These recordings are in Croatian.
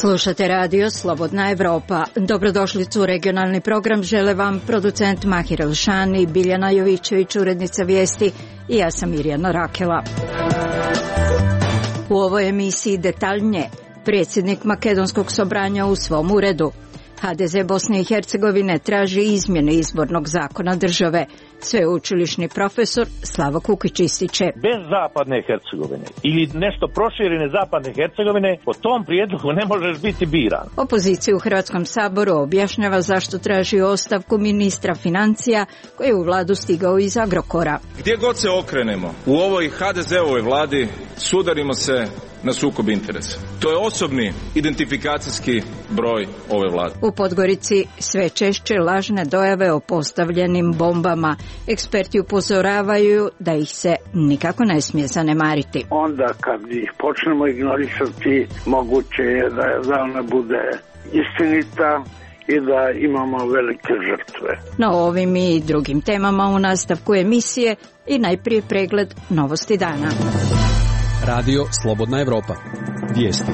Slušate radio Slobodna Evropa. Dobrodošlicu u regionalni program žele vam producent Mahir Elšani, Biljana Jovićević, urednica vijesti i ja sam Mirjana Rakela. U ovoj emisiji detaljnije predsjednik Makedonskog sobranja u svom uredu. HDZ Bosne i Hercegovine traži izmjene izbornog zakona države. Sveučilišni profesor Slavo Kukić ističe: bez zapadne Hercegovine ili nešto proširene zapadne Hercegovine, po tom prijedlogu ne možeš biti biran. Opozicija u Hrvatskom saboru objašnjava zašto traži ostavku ministra financija koji je u vladu stigao iz Agrokora. Gdje god se okrenemo u ovoj HDZ-ovoj vladi sudarimo se na sukob interesa. To je osobni identifikacijski broj ove vlade. U Podgorici sve češće lažne dojave o postavljenim bombama. Eksperti upozoravaju da ih se nikako ne smije zanemariti. Onda kad ih počnemo ignorisati, moguće je da ona bude istinita i da imamo velike žrtve. Na ovim i drugim temama u nastavku emisije i najprije pregled novosti dana. Radio Slobodna Evropa. Vijesti.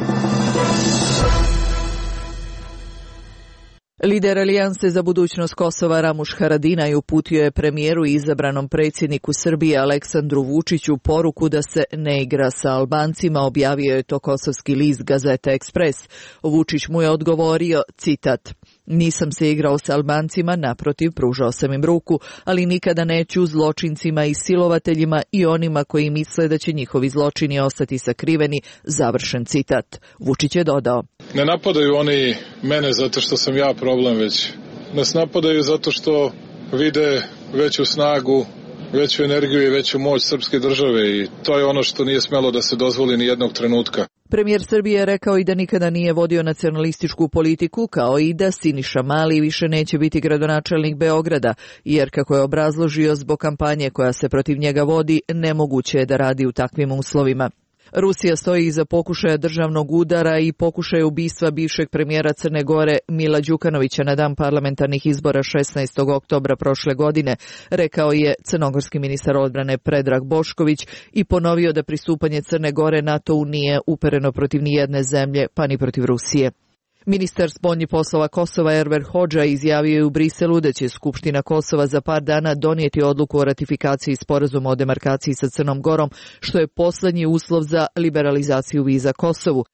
Lider Alijanse za budućnost Kosova Ramuš Haradinaj uputio je premijeru i izabranom predsjedniku Srbije Aleksandru Vučiću poruku da se ne igra sa Albancima, objavio je to kosovski list Gazeta Ekspres. Vučić mu je odgovorio, citat: nisam se igrao sa Albancima, naprotiv, pružao sam im ruku, ali nikada neću zločincima i silovateljima i onima koji misle da će njihovi zločini ostati sakriveni, završen citat. Vučić je dodao: ne napadaju oni mene zato što sam ja problem, već nas napadaju zato što vide veću snagu, veću energiju i veću moć srpske države i to je ono što nije smelo da se dozvoli ni jednog trenutka. Premijer Srbije je rekao i da nikada nije vodio nacionalističku politiku, kao i da Siniša Mali više neće biti gradonačelnik Beograda, jer kako je obrazložio zbog kampanje koja se protiv njega vodi, nemoguće je da radi u takvim uslovima. Rusija stoji iza pokušaja državnog udara i pokušaja ubistva bivšeg premijera Crne Gore Mila Đukanovića na dan parlamentarnih izbora 16. oktobra prošle godine, rekao je crnogorski ministar odbrane Predrag Bošković i ponovio da pristupanje Crne Gore NATO-u nije upereno protiv nijedne zemlje, pa ni protiv Rusije. Ministar spoljnih poslova Kosova Enver Hodža izjavio je u Briselu da će Skupština Kosova za par dana donijeti odluku o ratifikaciji sporazuma o demarkaciji sa Crnom Gorom, što je posljednji uslov za liberalizaciju viza Kosovu.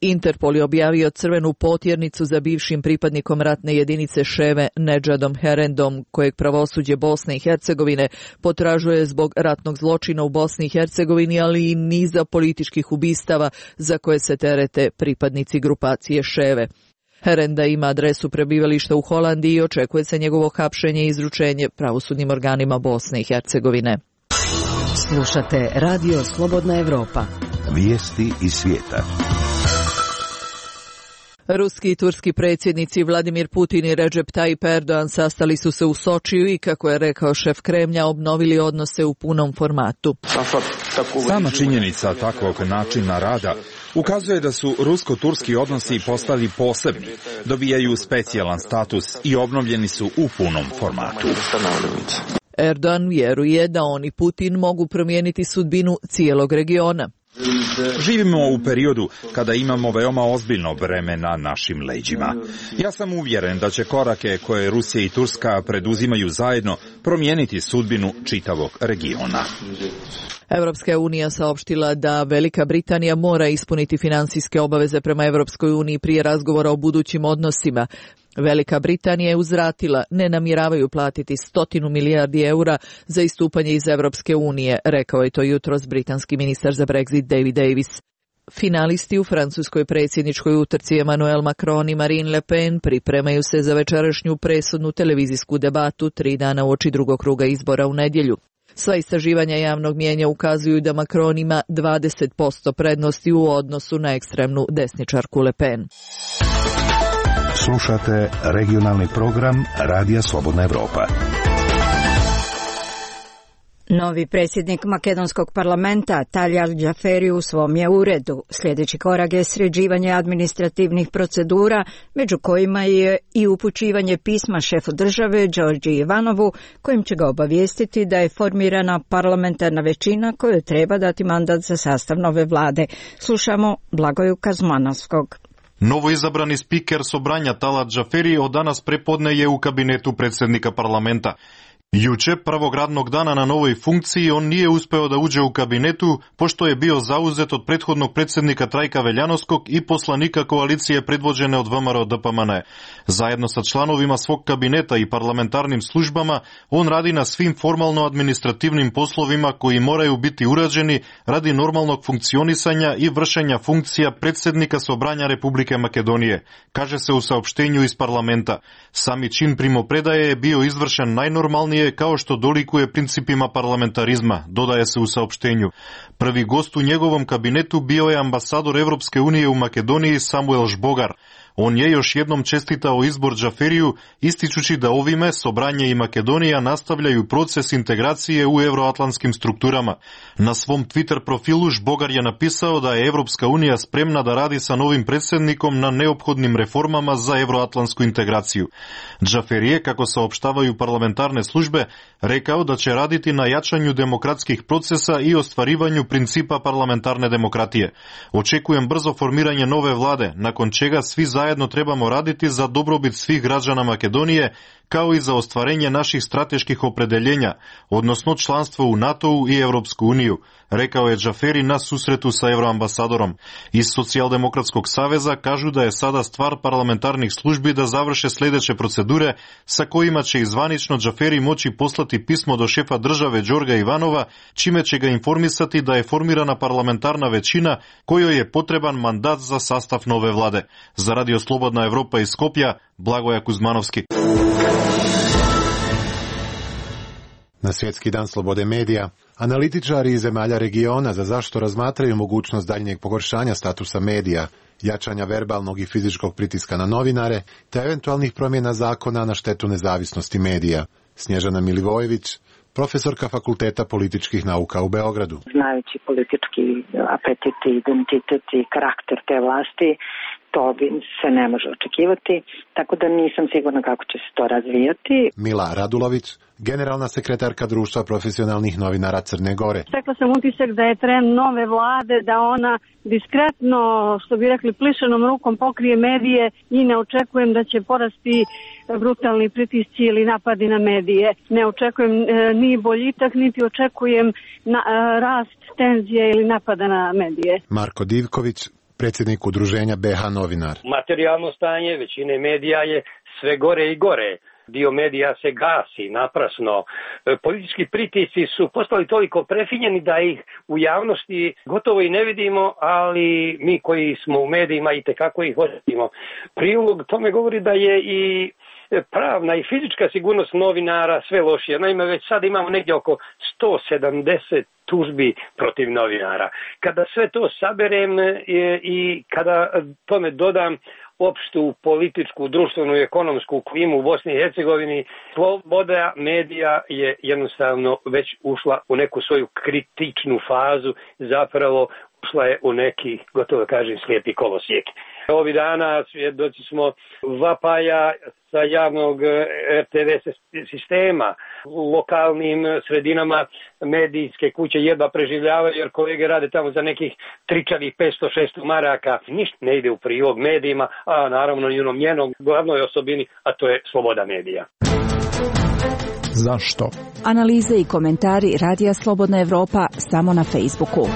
Interpol je objavio crvenu potjernicu za bivšim pripadnikom ratne jedinice Ševe Nedžadom Herendom, kojeg pravosuđe Bosne i Hercegovine potražuje zbog ratnog zločina u Bosni i Hercegovini, ali i niza političkih ubistava za koje se terete pripadnici grupacije Ševe. Herenda ima adresu prebivališta u Holandiji i očekuje se njegovo hapšenje i izručenje pravosudnim organima Bosne i Hercegovine. Slušate Radio Slobodna Evropa. Vijesti iz svijeta. Ruski i turski predsjednici Vladimir Putin i Recep Tayyip Erdogan sastali su se u Sočiju i, kako je rekao šef Kremlja, obnovili odnose u punom formatu. Sama činjenica takvog načina rada ukazuje da su rusko-turski odnosi postali posebni, dobijaju specijalan status i obnovljeni su u punom formatu. Erdogan vjeruje da on i Putin mogu promijeniti sudbinu cijelog regiona. Živimo u periodu kada imamo veoma ozbiljno breme na našim leđima. Ja sam uvjeren da će korake koje Rusija i Turska preduzimaju zajedno promijeniti sudbinu čitavog regiona. Europska unija saopštila da Velika Britanija mora ispuniti finansijske obaveze prema Europskoj uniji prije razgovora o budućim odnosima. Velika Britanija je uzvratila, ne namjeravaju platiti 100 milijardi eura za istupanje iz Europske unije, rekao je to jutros britanski ministar za Brexit David Davis. Finalisti u francuskoj predsjedničkoj utrci Emmanuel Macron i Marine Le Pen pripremaju se za večerašnju presudnu televizijsku debatu 3 dana uoči drugog kruga izbora u nedjelju. Sva istraživanja javnog mnijenja ukazuju da Macron ima 20% prednosti u odnosu na ekstremnu desničarku Le Pen. Slušate regionalni program Radija Slobodna Evropa. Novi predsjednik makedonskog parlamenta Taljal Džaferi u svom je uredu. Sljedeći korak je sređivanje administrativnih procedura, među kojima je i upućivanje pisma šefu države Đorđi Ivanovu, kojim će ga obavijestiti da je formirana parlamentarna većina kojoj treba dati mandat za sastav nove vlade. Slušamo Blagoju Kazmanovskog. Novoizabrani spiker Sobranja Talat Džaferi od danas prepodne je u kabinetu predsjednika parlamenta. Juče, prvog radnog dana na novoj funkciji, on nije uspeo da uđe u kabinetu, pošto je bio zauzet od prethodnog predsjednika Trajka Veljanovskog i poslanika koalicije predvođene od VMRO DPMN. Zajedno sa članovima svog kabineta i parlamentarnim službama, on radi na svim formalno-administrativnim poslovima koji moraju biti urađeni radi normalnog funkcionisanja i vršenja funkcija predsjednika Sobranja Republike Makedonije, kaže se u saopštenju iz parlamenta. Sami čin primopredaje je bio izvršen najnormalnije kao što dolikuje principima parlamentarizma, dodaje se u saopštenju. Prvi gost u njegovom kabinetu bio je ambasador Evropske unije u Makedoniji Samuel Žbogar. On je još jednom čestitao izbor Džaferiju, ističući da ovime Sobranje i Makedonija nastavljaju proces integracije u euroatlantskim strukturama. Na svom Twitter profilu Žbogar je napisao da je Evropska unija spremna da radi sa novim predsjednikom na neophodnim reformama za euroatlantsku integraciju. Džaferi je, kako saopštavaju parlamentarne službe, rekao da će raditi na jačanju demokratskih procesa i ostvarivanju principa parlamentarne demokratije. Očekujem brzo formiranje nove vlade, nakon čega svi zajedno trebamo raditi za dobrobit svih građana Makedonije, kao i za ostvarenje naših strateških opredeljenja, odnosno članstvo u NATO-u i Evropsku uniju, rekao je Džaferi na susretu sa euroambasadorom. Iz Socijaldemokratskog saveza kažu da je sada stvar parlamentarnih službi da završe sljedeće procedure sa kojima će izvanično Džaferi moći poslati pismo do šefa države Đorga Ivanova, čime će ga informisati da je formirana parlamentarna većina kojoj je potreban mandat za sastav nove vlade. Za Radio Slobodna Evropa iz Skopja, Blagoja Kuzmanovski. Na Svjetski dan slobode medija, analitičari iz zemalja regiona za zašto razmatraju mogućnost daljnjeg pogoršanja statusa medija, jačanja verbalnog i fizičkog pritiska na novinare, te eventualnih promjena zakona na štetu nezavisnosti medija. Snježana Milivojević, profesorka Fakulteta političkih nauka u Beogradu. Znajući politički apetit, identitet i karakter te vlasti, to bi se ne može očekivati, tako da nisam sigurna kako će se to razvijati. Mila Radulović, generalna sekretarka Društva profesionalnih novinara Crne Gore. Stekla sam utisak da je trend nove vlade, da ona diskretno, što bi rekli, plišenom rukom pokrije medije i ne očekujem da će porasti brutalni pritisci ili napadi na medije. Ne očekujem ni boljitak, niti očekujem rast tenzije ili napada na medije. Marko Divković, predsjednik udruženja BH Novinar. Materijalno stanje većine medija je sve gore i gore. Dio medija se gasi naprasno. Politički pritisci su postali toliko prefinjeni da ih u javnosti gotovo i ne vidimo, ali mi koji smo u medijima i tekako ih osjetimo. Prilog tome govori da je i pravna i fizička sigurnost novinara sve lošija. Naime, već sad imamo negdje oko 170 tužbi protiv novinara. Kada sve to saberem i kada tome dodam opštu političku, društvenu i ekonomsku klimu u Bosni i Hercegovini, sloboda medija je jednostavno već ušla u neku svoju kritičnu fazu, zapravo ušla je u neki, gotovo kažem, slijepi kolosijek. Ovih dana svjedoci smo vapaja sa javnog RTV sistema. U lokalnim sredinama medijske kuće jedva preživljavaju jer kolege rade tamo za nekih tričavih 500-600 maraka. Ništa ne ide u prilog medijima, a naravno i onom njenom glavnoj osobini, a to je sloboda medija. Zašto? Analize i komentari Radija Slobodna Evropa samo na Facebooku.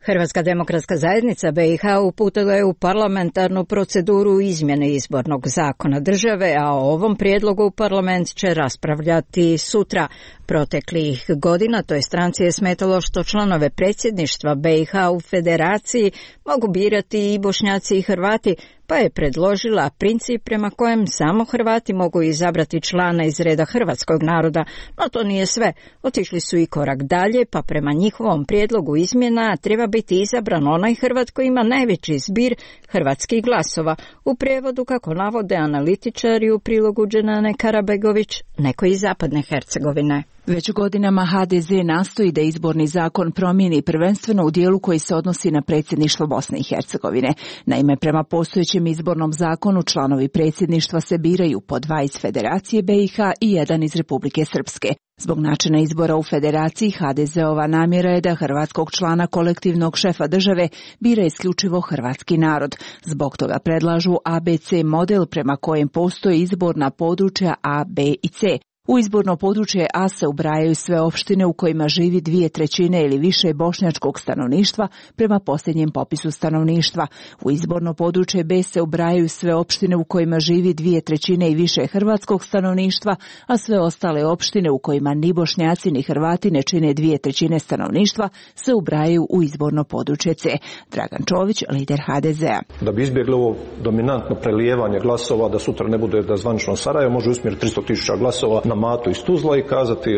Hrvatska demokratska zajednica BiH uputila je u parlamentarnu proceduru izmjene izbornog zakona države, a o ovom prijedlogu parlament će raspravljati sutra. Proteklih godina toj stranci je smetalo što članove predsjedništva BiH u federaciji mogu birati i Bošnjaci i Hrvati, pa je predložila princip prema kojem samo Hrvati mogu izabrati člana iz reda hrvatskog naroda, no to nije sve. Otišli su i korak dalje, pa prema njihovom prijedlogu izmjena treba biti izabran onaj Hrvat koji ima najveći zbir hrvatskih glasova. U prijevodu, kako navode analitičari u prilogu Dženane Karabegović, neko iz Zapadne Hercegovine. Već godinama HDZ nastoji da izborni zakon promijeni prvenstveno u dijelu koji se odnosi na predsjedništvo Bosne i Hercegovine. Naime, prema postojećem izbornom zakonu članovi predsjedništva se biraju po 2 iz Federacije BiH i 1 iz Republike Srpske. Zbog načina izbora u Federaciji, HDZ-ova namjera je da hrvatskog člana kolektivnog šefa države bira isključivo hrvatski narod. Zbog toga predlažu ABC model prema kojem postoji izborna područja A, B i C. U izborno područje A se ubrajaju sve opštine u kojima živi 2/3 ili više bošnjačkog stanovništva prema posljednjem popisu stanovništva. U izborno područje B se ubrajaju sve opštine u kojima živi 2/3 i više hrvatskog stanovništva, a sve ostale opštine u kojima ni Bošnjaci ni Hrvati ne čine 2/3 stanovništva se ubrajaju u izborno područje C. Dragan Čović, lider HDZ-a. Da bi izbjegli ovo dominantno prelijevanje glasova, da sutra ne bude da zvanično Sarajevo može usmjeriti 300.000 glasova na Matu iz Tuzla i kazati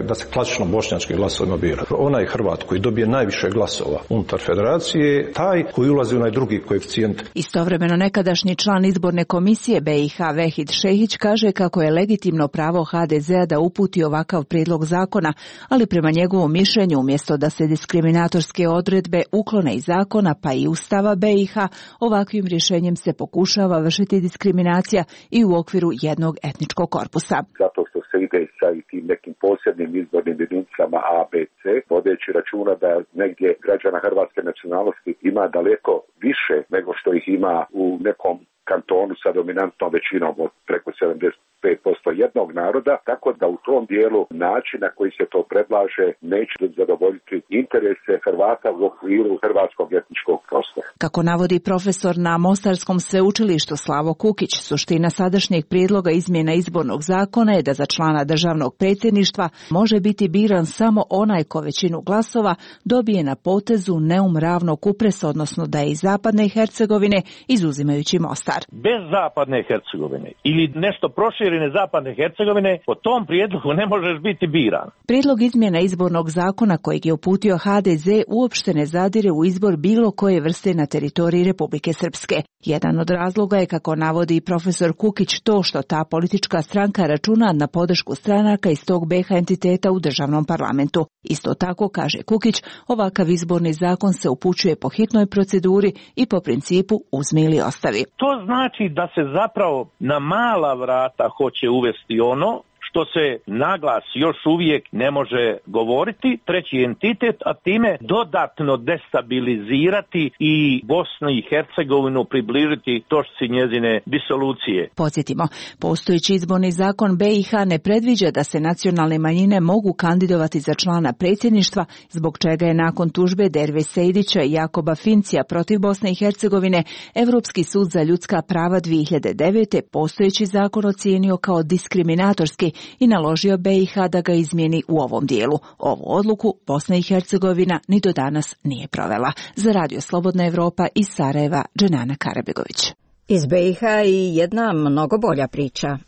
da se klasično bošnjački glasovima bira. Onaj Hrvat koji dobije najviše glasova unutar federacije, taj koji ulazi u onaj drugi koeficijent. Istovremeno nekadašnji član izborne komisije BiH Vehid Šehić kaže kako je legitimno pravo HDZ-a da uputi ovakav prijedlog zakona, ali prema njegovom mišljenju umjesto da se diskriminatorske odredbe uklone iz zakona pa i Ustava BiH, ovakvim rješenjem se pokušava vršiti diskriminacija i u okviru jednog etničkog korpusa. Zato što se ide sa i tim nekim posebnim izbornim jedinicama A, B, C, vodeći računa da negdje građana hrvatske nacionalnosti ima daleko više nego što ih ima u nekom kantonu sa dominantnom većinom od preko 75% jednog naroda, tako da u tom dijelu način na koji se to predlaže neće zadovoljiti interese Hrvata u okviru hrvatskog etničkog prostora. Kako navodi profesor na Mostarskom sveučilištu Slavo Kukić, suština sadašnjeg prijedloga izmjena izbornog zakona je da za člana državnog predsjedništva može biti biran samo onaj ko većinu glasova dobije na potezu Neum Ravno Kupres, odnosno da je iz Zapadne Hercegovine, izuzimajući Mostar. Bez Zapadne Hercegovine ili nešto proširene Zapadne Hercegovine, po tom prijedlogu ne možeš biti biran. Prijedlog izmjena izbornog zakona kojeg je uputio HDZ uopšte ne zadire u izbor bilo koje vrste na teritoriji Republike Srpske. Jedan od razloga je, kako navodi profesor Kukić, to što ta politička stranka računa na podršku stranaka iz tog BiH entiteta u državnom parlamentu. Isto tako, kaže Kukić, ovakav izborni zakon se upućuje po hitnoj proceduri i po principu uzmi ili ostavi. To znači da se zapravo na mala vrata hoće uvesti ono što se naglas još uvijek ne može govoriti, treći entitet, a time dodatno destabilizirati i Bosnu i Hercegovinu, približiti točci njezine disolucije. Podsjetimo, postojeći izborni zakon BiH ne predviđa da se nacionalne manjine mogu kandidovati za člana predsjedništva, zbog čega je nakon tužbe Derve Sejdića i Jakoba Fincija protiv Bosne i Hercegovine Europski sud za ljudska prava 2009. postojeći zakon ocijenio kao diskriminatorski i naložio BiH da ga izmijeni u ovom dijelu. Ovu odluku Bosna i Hercegovina ni do danas nije provela. Za Radio Slobodna Evropa iz Sarajeva, Dženana Karabegović. Iz BiH i jedna mnogo bolja priča.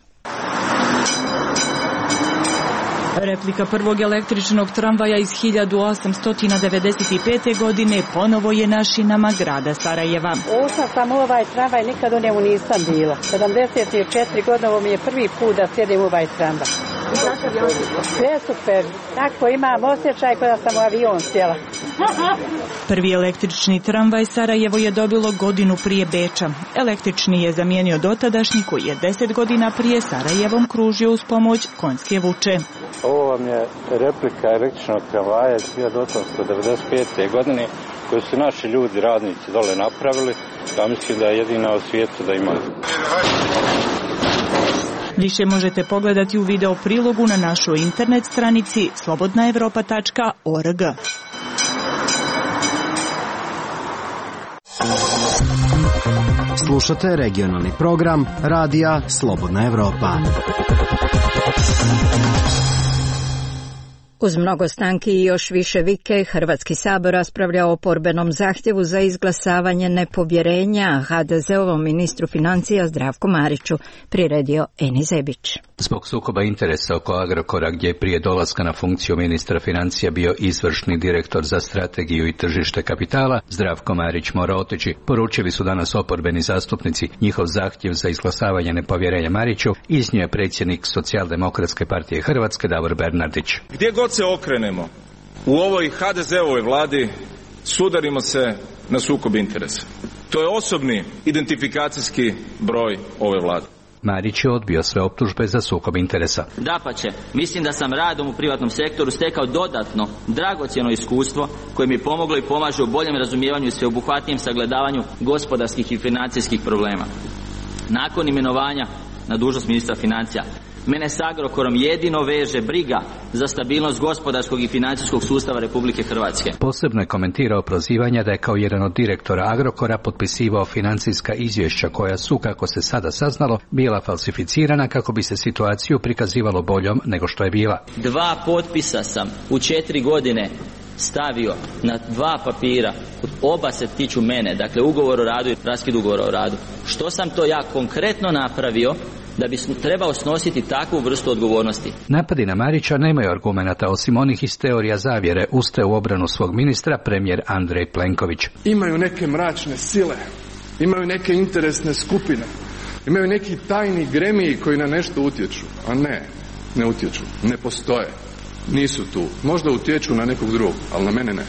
Replika prvog električnog tramvaja iz 1895. godine ponovo je na šinama grada Sarajeva. Ušla sam u ovaj tramvaj, nikad u njemu nisam bila. 74 godine, ovo mi je prvi put da sjedim u ovaj tramvaj. Sve super, tako imam osjećaj kao da sam u avion sjela. Prvi električni tramvaj Sarajevo je dobilo godinu prije Beča. Električni je zamijenio dotadašnji koji je 10 godina prije Sarajevom kružio uz pomoć konjske vuče. Ovo vam je replika električnog tramvaja iz 1895. godine koju su naši ljudi, radnici dole napravili. Ja mislim da je jedina u svijetu da ima. Više možete pogledati u video prilogu na našoj internet stranici slobodnaevropa.org. Slušate regionalni program Radija Slobodna Evropa. Uz mnogo stanki i još više vike, Hrvatski sabor raspravlja o oporbenom zahtjevu za izglasavanje nepovjerenja HDZ-ovom ministru financija Zdravku Mariću, priredio Eni Zebić. Zbog sukoba interesa oko Agrokora, gdje je prije dolaska na funkciju ministra financija bio izvršni direktor za strategiju i tržište kapitala, Zdravko Marić mora otići, poručili su danas oporbeni zastupnici. Njihov zahtjev za izglasavanje nepovjerenja Mariću iznio je predsjednik Socijaldemokratske partije Hrvatske Davor Bernardić. Gdje god se okrenemo u ovoj HDZ-ovoj vladi sudarimo se na sukob interesa. To je osobni identifikacijski broj ove vlade. Marić je odbio sve optužbe za sukob interesa. Dapače, mislim da sam radom u privatnom sektoru stekao dodatno, dragocjeno iskustvo koje mi je pomoglo i pomaže u boljem razumijevanju i sveobuhvatnijem sagledavanju gospodarskih i financijskih problema. Nakon imenovanja na dužnost ministra financija, mene s Agrokorom jedino veže briga za stabilnost gospodarskog i financijskog sustava Republike Hrvatske. Posebno je komentirao prozivanja da je kao jedan od direktora Agrokora potpisivao financijska izvješća koja su, kako se sada saznalo, bila falsificirana kako bi se situaciju prikazivalo boljom nego što je bila. 2 potpisa sam u 4 godine stavio na 2 papira, oba se tiču mene, dakle ugovor o radu i raskid ugovora o radu. Što sam to ja konkretno napravio da bi trebao snositi takvu vrstu odgovornosti? Napadi na Marića nemaju argumenata osim onih iz teorija zavjere, ustaje u obranu svog ministra premijer Andrej Plenković. Imaju neke mračne sile, imaju neke interesne skupine, imaju neki tajni gremiji koji na nešto utječu, a ne utječu, ne postoje, nisu tu, možda utječu na nekog drugog, ali na mene ne.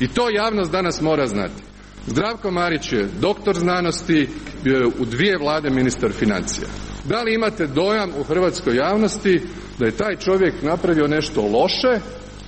I to javnost danas mora znati. Zdravko Marić je doktor znanosti, bio je u 2 vlade ministar financija. Da li imate dojam u hrvatskoj javnosti da je taj čovjek napravio nešto loše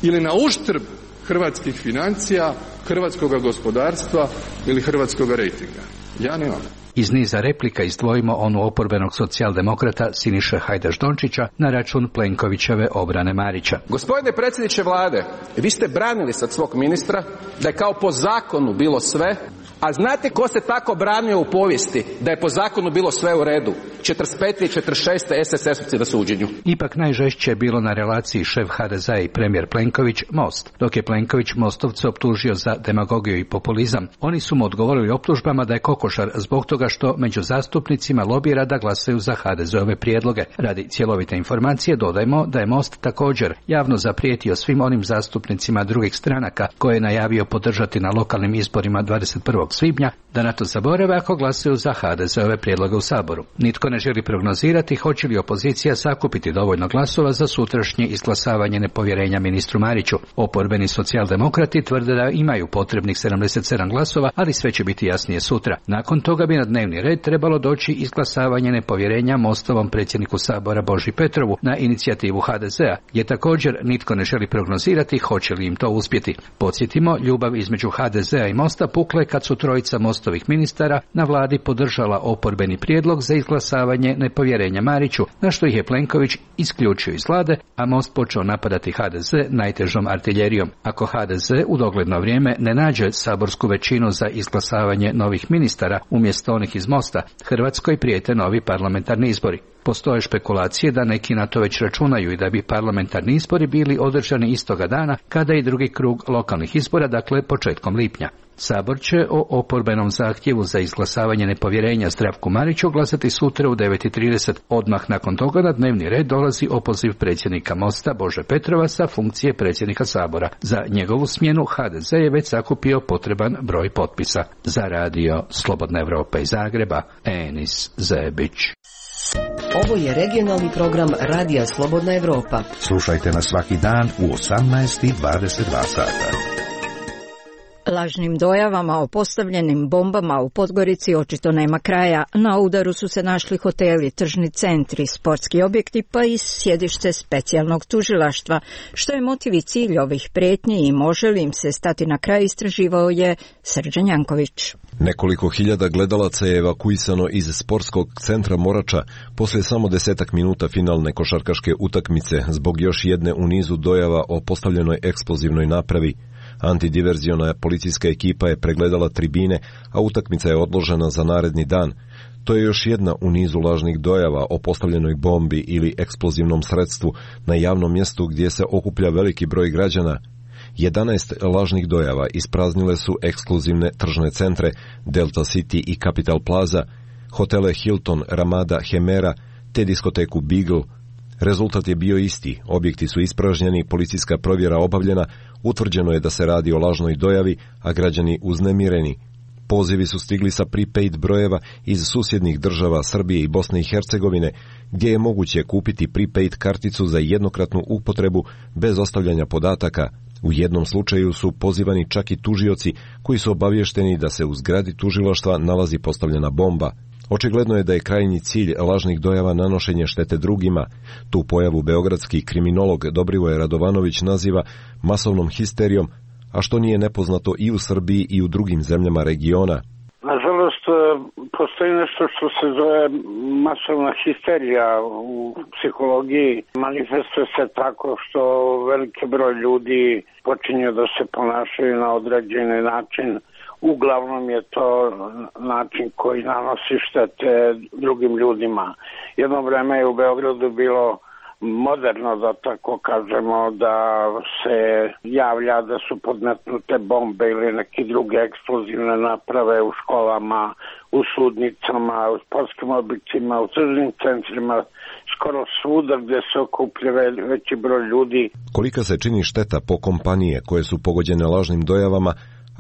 ili na uštrb hrvatskih financija, hrvatskog gospodarstva ili hrvatskog rejtinga? Ja nemam. Iz niza replika izdvojimo onu oporbenog socijaldemokrata Siniše Hajdaš-Dončića na račun Plenkovićeve obrane Marića. Gospodine predsjedniče vlade, vi ste branili sad svog ministra da je kao po zakonu bilo sve, a znate ko se tako branio u povijesti da je po zakonu bilo sve u redu? 45. i 46. SSS-ovci na suđenju. Ipak najžešće je bilo na relaciji šef HDZ-a i premijer Plenković Most, dok je Plenković Mostovce optužio za demagogiju i populizam. Oni su mu odgovorili optužbama da je kokošar zbog toga što među zastupnicima lobira da glasaju za HDZ-ove prijedloge. Radi cjelovite informacije dodajmo da je Most također javno zaprijetio svim onim zastupnicima drugih stranaka koje je najavio podržati na lokalnim izborima 21. svibnja da na to zaborave ako glasaju za HDZ-ove prijedloge u Saboru. Nitko ne želi prognozirati hoće li opozicija sakupiti dovoljno glasova za sutrašnje izglasavanje nepovjerenja ministru Mariću. Oporbeni socijaldemokrati tvrde da imaju potrebnih 77 glasova, ali sve će biti jasnije sutra. Nakon toga bi na dnevni red trebalo doći izglasavanje nepovjerenja Mostovom predsjedniku Sabora Boži Petrovu na inicijativu HDZ-a, gdje također nitko ne želi prognozirati hoće li im to uspjeti. Podsjetimo, ljubav između HDZ-a i Mosta pukle kad su trojica Mostovih ministara na vladi podržala oporbeni prijedlog za izglasavanje nepovjerenja Mariću, na što ih je Plenković isključio iz vlade, a Most počeo napadati HDZ najtežom artiljerijom. Ako HDZ u dogledno vrijeme ne nađe saborsku većinu za izglasavanje novih ministara umjesto onih iz Mosta, Hrvatskoj prijete novi parlamentarni izbori. Postoje špekulacije da neki na to već računaju i da bi parlamentarni izbori bili održani istoga dana kada i drugi krug lokalnih izbora, dakle početkom lipnja. Sabor će o oporbenom zahtjevu za izglasavanje nepovjerenja Zdravku Mariću glasati sutra u 9:30. Odmah nakon toga na dnevni red dolazi opoziv predsjednika Mosta Bože Petrova sa funkcije predsjednika Sabora. Za njegovu smjenu HDZ je već sakupio potreban broj potpisa. Za radio Slobodna Evropa iz Zagreba, Enis Zebić. Ovo je regionalni program Radija Slobodna Evropa. Slušajte nas svaki dan u 18:22 sata. Lažnim dojavama o postavljenim bombama u Podgorici očito nema kraja. Na udaru su se našli hoteli, tržni centri, sportski objekti pa i sjedište specijalnog tužilaštva. Što je motiv i cilj ovih prijetnji i može li im se stati na kraj, istraživao je Srđan Janković. Nekoliko hiljada gledalaca je evakuisano iz sportskog centra Morača poslije samo 10 minuta finalne košarkaške utakmice zbog još jedne u nizu dojava o postavljenoj eksplozivnoj napravi. Antidiverziona policijska ekipa je pregledala tribine, a utakmica je odložena za naredni dan. To je još jedna u nizu lažnih dojava o postavljenoj bombi ili eksplozivnom sredstvu na javnom mjestu gdje se okuplja veliki broj građana. 11 lažnih dojava ispraznile su ekskluzivne tržne centre Delta City i Capital Plaza, hotele Hilton, Ramada, Hemera te diskoteku Beagle. Rezultat je bio isti, objekti su ispražnjeni, policijska provjera obavljena, utvrđeno je da se radi o lažnoj dojavi, a građani uznemireni. Pozivi su stigli sa prepaid brojeva iz susjednih država Srbije i Bosne i Hercegovine, gdje je moguće kupiti prepaid karticu za jednokratnu upotrebu bez ostavljanja podataka. U jednom slučaju su pozivani čak i tužioci koji su obavješteni da se u zgradi tužilaštva nalazi postavljena bomba. Očigledno je da je krajnji cilj lažnih dojava nanošenje štete drugima. Tu pojavu beogradski kriminolog Dobrivoje Radovanović naziva masovnom histerijom, a što nije nepoznato i u Srbiji i u drugim zemljama regiona. Nažalost, postoji nešto što se zove masovna histerija u psihologiji. Manifestuje se tako što veliki broj ljudi počinju da se ponašaju na određeni način. Uglavnom je to način koji nanosi štete drugim ljudima. Jedno vreme je u Beogradu bilo moderno, da tako kažemo, da se javlja da su podmetnute bombe ili neke druge eksplozivne naprave u školama, u sudnicama, u sportskim objektima, u tržnim centrima, skoro svuda gdje se okuplja veći broj ljudi. Kolika se čini šteta po kompanije koje su pogođene lažnim dojavama,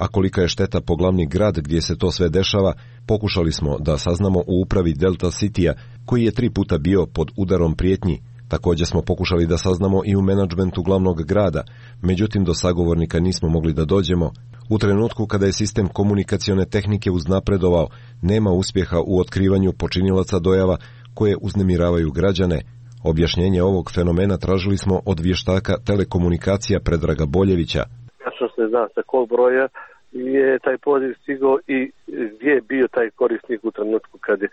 a kolika je šteta po glavni grad gdje se to sve dešava, pokušali smo da saznamo u upravi Delta Citya, koji je 3 puta bio pod udarom prijetnji. Također smo pokušali da saznamo i u menadžmentu glavnog grada, međutim do sagovornika nismo mogli da dođemo. U trenutku kada je sistem komunikacione tehnike uznapredovao, nema uspjeha u otkrivanju počinilaca dojava koje uznemiravaju građane. Objašnjenje ovog fenomena tražili smo od vještaka telekomunikacija Predraga Boljevića. Tačno se zna sa kog broja je taj poziv stigao i gdje je bio taj korisnik u trenutku kad je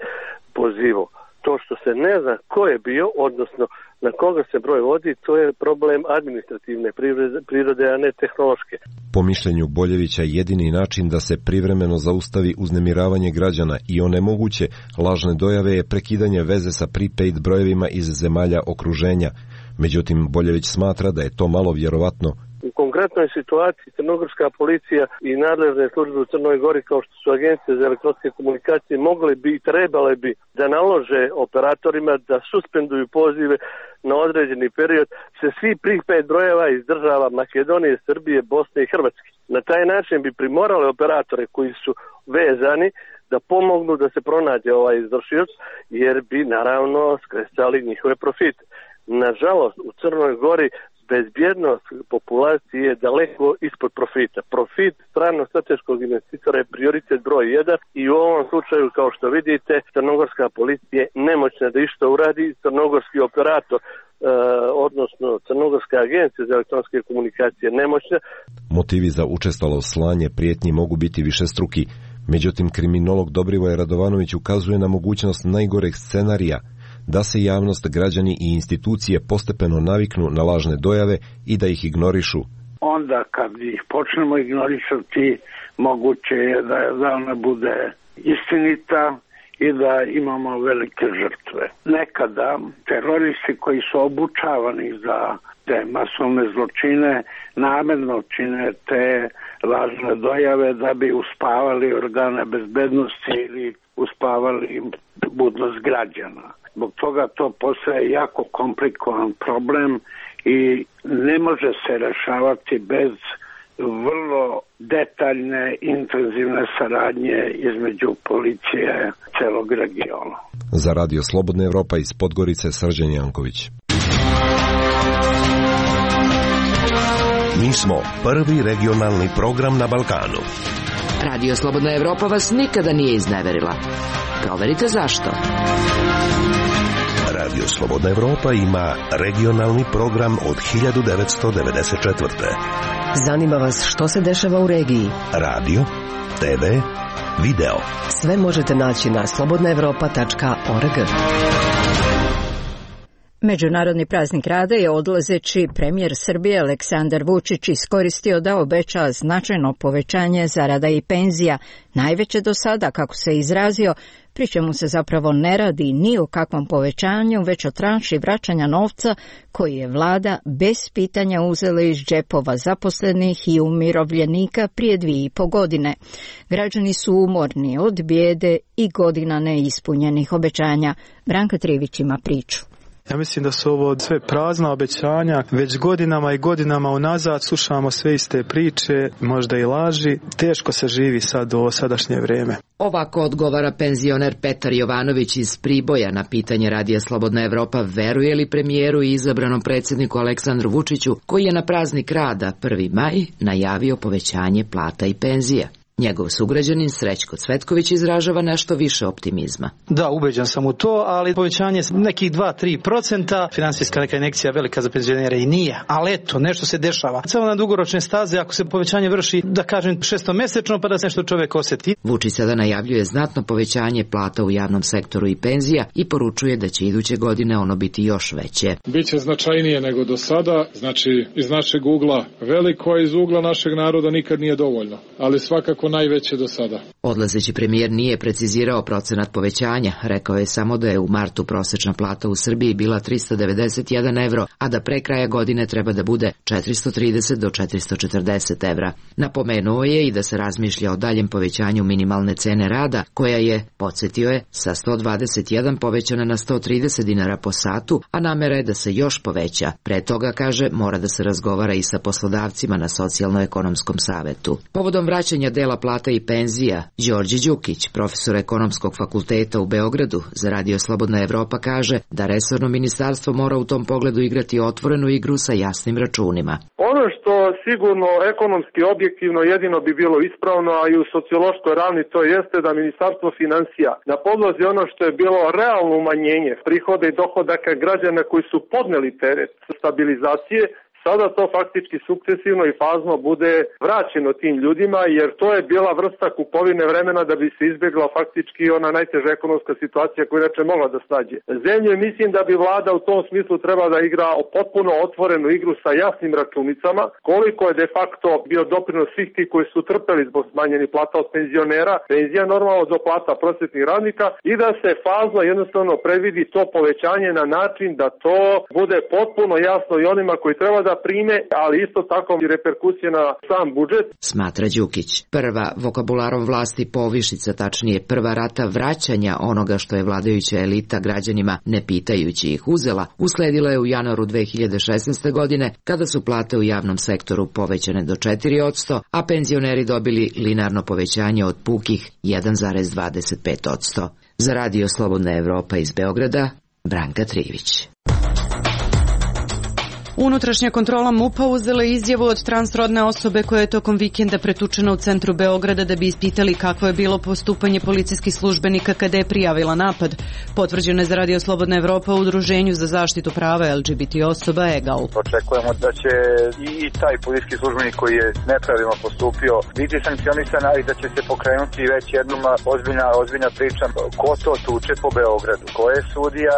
pozivao. To što se ne zna ko je bio, odnosno na koga se broj vodi, to je problem administrativne prirode, a ne tehnološke. Po mišljenju Boljevića, jedini način da se privremeno zaustavi uznemiravanje građana i onemoguće lažne dojave je prekidanje veze sa prepaid brojevima iz zemalja okruženja. Međutim, Boljević smatra da je to malo vjerovatno. U konkretnoj situaciji crnogorska policija i nadležne službe u Crnoj Gori, kao što su agencije za elektronske komunikacije, mogle bi i trebale bi da nalože operatorima da suspenduju pozive na određeni period se svi prepaid brojeva iz država Makedonije, Srbije, Bosne i Hrvatske. Na taj način bi primorale operatore koji su vezani da pomognu da se pronađe ovaj izvršilac, jer bi naravno skresali njihove profite. Nažalost, u Crnoj Gori bezbjednost populacije je daleko ispod profita. Profit stranog strateškog investitora je prioritet broj 1 i u ovom slučaju, kao što vidite, crnogorska policija je nemoćna da išta uradi, crnogorski operator, odnosno crnogorska agencija za elektronske komunikacije nemoćna. Motivi za učestalo slanje prijetnji mogu biti višestruki, međutim kriminolog Dobrivoje Radovanović ukazuje na mogućnost najgoreg scenarija, da se javnost, građani i institucije postepeno naviknu na lažne dojave i da ih ignorišu. Onda kad ih počnemo ignorisati, moguće je da ona bude istinita i da imamo velike žrtve. Nekada teroristi koji su obučavani za te masovne zločine namjerno čine te lažne dojave da bi uspavali organe bezbednosti ili uspavali budnost građana. Zbog toga to postaje jako komplikovan problem i ne može se rešavati bez vrlo detaljne, intenzivne saradnje između policije celog regiona. Za Radio Slobodna Evropa iz Podgorice, Srđan Janković. Mi smo prvi regionalni program na Balkanu. Radio Slobodna Evropa vas nikada nije izneverila. Proverite zašto. Radio Slobodna Evropa ima regionalni program od 1994. Zanima vas što se dešava u regiji? Radio, TV, video. Sve možete naći na slobodnaevropa.org. Međunarodni praznik rada je odlazeći premijer Srbije Aleksandar Vučić iskoristio da obeća značajno povećanje zarada i penzija, najveće do sada, kako se izrazio, pri čemu se zapravo ne radi ni o kakvom povećanju, već o tranši vraćanja novca koji je vlada bez pitanja uzela iz džepova zaposlenih i umirovljenika prije 2,5 godine. Građani su umorni od bijede i godina neispunjenih obećanja. Branka Trivić ima priču. Ja mislim da su ovo sve prazna obećanja, već godinama i godinama unazad slušamo sve iste priče, možda i laži, teško se živi sad u sadašnje vrijeme. Ovako odgovara penzioner Petar Jovanović iz Priboja na pitanje Radija Slobodna Evropa veruje li premijeru i izabranom predsjedniku Aleksandru Vučiću, koji je na praznik rada 1. maj najavio povećanje plata i penzija. Njegov sugrađanin Srećko Cvetković izražava nešto više optimizma. Da, ubeđen sam u to, ali povećanje nekih 2-3%, finansijska neka injekcija velika za penzionere i nije, ali eto, nešto se dešava. Samo na dugoročne staze, ako se povećanje vrši, da kažem, 6-mesečno, pa da se nešto čovjek osjeti. Vučić sada najavljuje znatno povećanje plata u javnom sektoru i penzija i poručuje da će iduće godine ono biti još veće. Biće značajnije nego do sada, znači iz našeg ugla veliko, a iz ugla našeg naroda nikad nije dovoljno, ali svakako najveće do sada. Odlazeći premijer nije precizirao procenat povećanja, rekao je samo da je u martu prosječna plata u Srbiji bila 391 evro, a da pre kraja godine treba da bude 430 do 440 evra. Napomenuo je i da se razmišlja o daljem povećanju minimalne cene rada, koja je, podsjetio je, sa 121 povećana na 130 dinara po satu, a namera je da se još poveća. Pre toga, kaže, mora da se razgovara i sa poslodavcima na socijalno-ekonomskom savetu. Povodom vraćanja dela plata i penzija, Đorđe Đukić, profesor ekonomskog fakulteta u Beogradu, za Radio Slobodna Evropa kaže da resorno ministarstvo mora u tom pogledu igrati otvorenu igru sa jasnim računima. Ono što sigurno ekonomski objektivno jedino bi bilo ispravno, a i u sociološkoj ravni to jeste da ministarstvo finansija na podlozi ono što je bilo realno umanjenje prihoda i dohodaka građana koji su podneli teret stabilizacije, sada to faktički sukcesivno i fazno bude vraćeno tim ljudima, jer to je bila vrsta kupovine vremena da bi se izbjegla faktički ona najteža ekonomska situacija koja inače mogla da snađe zemlju. Mislim da bi vlada u tom smislu trebala da igra potpuno otvorenu igru sa jasnim računicama, koliko je de facto bio doprinos svih ti koji su trpeli zbog smanjenih plata od penzionera, penzija normalno do plata prosvetnih radnika, i da se fazno jednostavno predvidi to povećanje na način da to bude potpuno jasno i onima koji treba da prime, ali isto tako i reperkusije na sam budžet. Smatra Đukić. Prva vokabularom vlasti povišica, tačnije prva rata vraćanja onoga što je vladajuća elita građanima, ne pitajući ih, uzela, usledila je u januaru 2016. godine, kada su plate u javnom sektoru povećane do 4%, a penzioneri dobili linearno povećanje od pukih 1,25%. Za Radio Slobodna Evropa iz Beograda, Branka Trivić. Unutrašnja kontrola MUP-a uzela izjavu od transrodne osobe koja je tokom vikenda pretučena u centru Beograda da bi ispitali kakvo je bilo postupanje policijskih službenika kada je prijavila napad. Potvrđeno je za Radio Slobodna Evropa u Udruženju za zaštitu prava LGBT osoba EGAL. Očekujemo da će i taj policijski službenik koji je nepravilno postupio biti sankcionisan, ali da će se pokrenuti već jednom ozbiljna priča ko to tuče po Beogradu, ko je sudija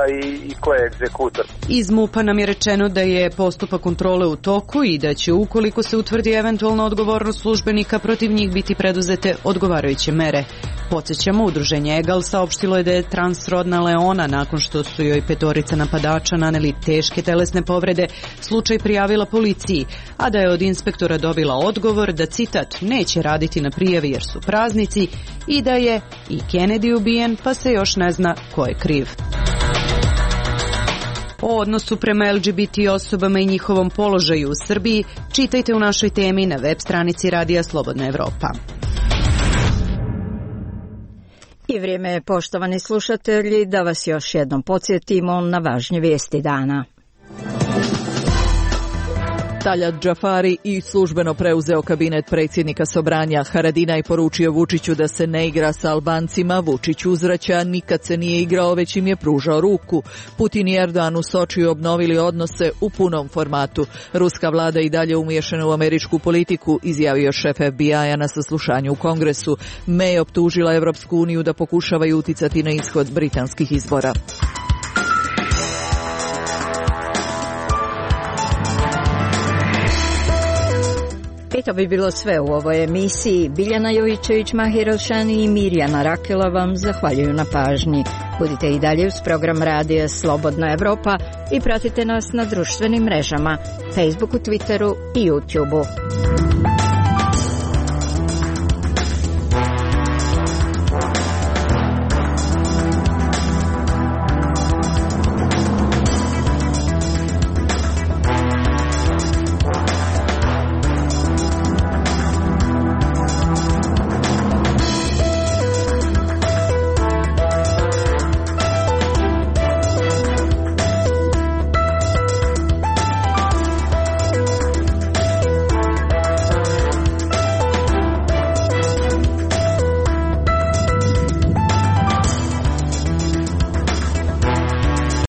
i ko je egzekutor. Iz MUP-a nam je rečeno da je postupak kontrole u toku i da će, ukoliko se utvrdi eventualna odgovornost službenika, protiv njih biti preduzete odgovarajuće mere. Podsjećamo, udruženje EGAL saopštilo je da je transrodna Leona, nakon što su joj 5 napadača naneli teške telesne povrede, slučaj prijavila policiji, a da je od inspektora dobila odgovor da, citat, neće raditi na prijavi jer su praznici i da je i Kennedy ubijen, pa se još ne zna ko je kriv. O odnosu prema LGBT osobama i njihovom položaju u Srbiji čitajte u našoj temi na web stranici Radija Slobodna Evropa. I vrijeme je, poštovani slušatelji, da vas još jednom podsjetimo na važnje vijesti dana. Taljat Džafari i službeno preuzeo kabinet predsjednika Sobranja. Haradinaj poručio Vučiću da se ne igra sa Albancima. Vučić uzvraća, nikad se nije igrao, već im je pružao ruku. Putin i Erdogan u Sočiju obnovili odnose u punom formatu. Ruska vlada i dalje umiješana u američku politiku, izjavio šef FBI-a na saslušanju u Kongresu. May optužila Evropsku uniju da pokušavaju uticati na ishod britanskih izbora. I to bi bilo sve u ovoj emisiji. Biljana Jovićević, Mahir Elšani i Mirjana Rakela vam zahvaljuju na pažnji. Budite i dalje uz program Radija Slobodna Evropa i pratite nas na društvenim mrežama, Facebooku, Twitteru i YouTubeu.